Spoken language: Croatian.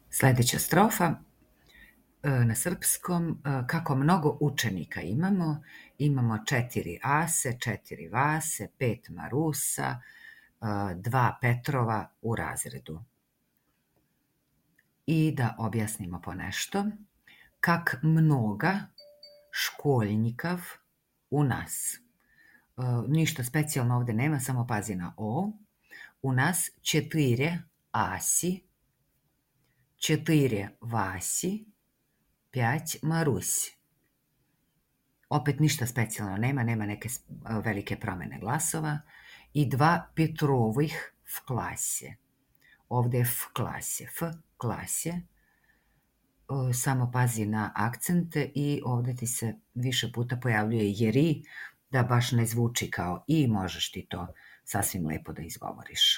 Sledeća strofa na srpskom, kako mnogo učenika imamo. Imamo 4 Ase, 4 Vase, 5 Marusa, 2 Petrova u razredu. I da objasnimo ponešto. Kak mnoga školjnikav u nas. Ništa specijalno ovde nema, samo pazi na o. U nas 4 Asi, 4 Vasi, 5 Marusi. Opet ništa specijalno nema neke velike promene glasova. I 2 Petrovih v klase. Ovde je v klase. Samo pazi na akcente i ovde ti se više puta pojavljuje jeri, da baš ne zvuči kao i, možeš ti to sasvim lepo da izgovoriš.